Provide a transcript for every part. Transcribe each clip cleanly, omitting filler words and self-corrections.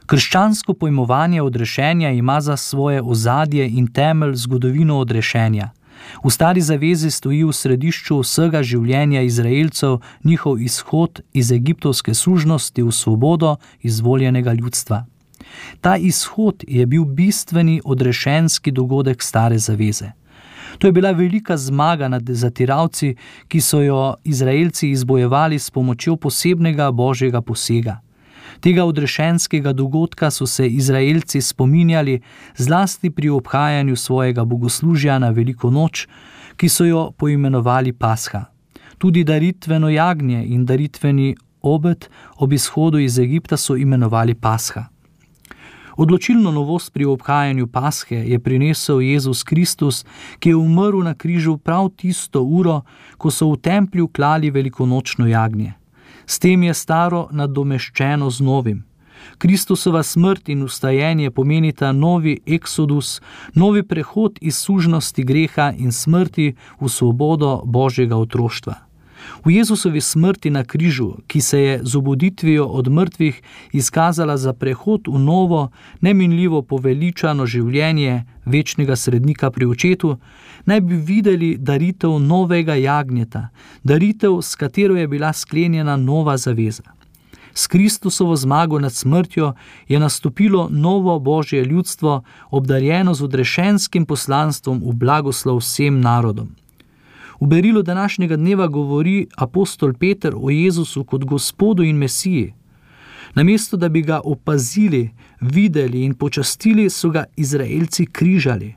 Krščansko pojmovanje odrešenja ima za svoje ozadje in temelj zgodovino odrešenja. V Stari zavezi stoji v središču vsega življenja Izraelcev njihov izhod iz egiptovske sužnosti v svobodo izvoljenega ljudstva. Ta izhod je bil bistveni odrešenski dogodek Stare zaveze. To je bila velika zmaga nad zatiralci, ki so jo Izraelci izbojevali s pomočjo posebnega božjega posega. Tega odrešenskega dogodka so se Izraelci spominjali zlasti pri obhajanju svojega bogoslužja na veliko noč, ki so jo poimenovali Pasha. Tudi daritveno jagnje in daritveni obed ob izhodu iz Egipta so imenovali Pasha. Odločilno novost pri obhajanju Pashe je prinesel Jezus Kristus, ki je umrl na križu prav tisto uro, ko so v templju klali velikonočno jagnje. S tem je staro nadomeščeno z novim. Kristusova smrt in vstajenje pomenita novi eksodus, novi prehod iz sužnosti greha in smrti v svobodo Božjega otroštva. V Jezusovi smrti na križu, ki se je z obuditvijo od mrtvih izkazala za prehod v novo, neminljivo poveličano življenje večnega srednika pri očetu, naj bi videli daritev novega jagnjeta, daritev, s katero je bila sklenjena nova zaveza. S Kristusovo zmago nad smrtjo je nastopilo novo Božje ljudstvo, obdarjeno z odrešenskim poslanstvom v blagoslov vsem narodom. V berilu današnjega dneva govori apostol Peter o Jezusu kot Gospodu in Mesiji. Namesto, da bi ga opazili, videli in počastili, so ga Izraelci križali.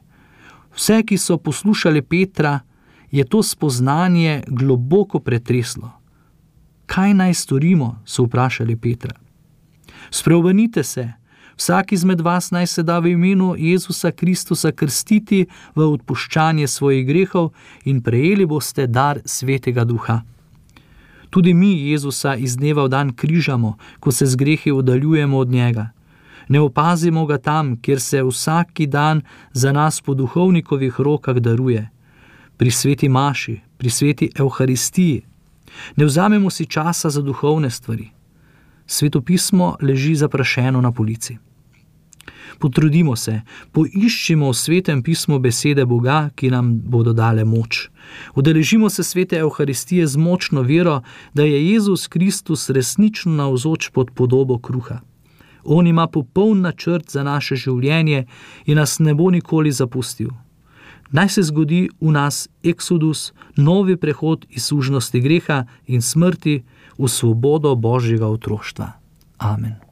Vse, ki so poslušali Petra, je to spoznanje globoko pretreslo. Kaj naj storimo, so vprašali Petra. Spreobrnite se, vsak izmed vas naj se da v imenu Jezusa Kristusa krstiti v odpuščanje svojih grehov in prejeli boste dar Svetega Duha. Tudi mi Jezusa iz dneva v dan križamo, ko se z grehi oddaljujemo od njega. Ne opazimo ga tam, kjer se vsaki dan za nas po duhovnikovih rokah daruje. Pri sveti maši, pri sveti evharistiji. Ne vzamemo si časa za duhovne stvari. Sveto pismo leži zaprašeno na polici. Potrudimo se, poiščimo v Svetem pismu besede Boga, ki nam bodo dale moč. Udeležimo se svete evharistije z močno vero, da je Jezus Kristus resnično navzoč pod podobo kruha. On ima popoln načrt za naše življenje in nas ne bo nikoli zapustil. Naj se zgodi v nas eksodus, novi prehod iz sužnosti greha in smrti v svobodo Božjega otroštva. Amen.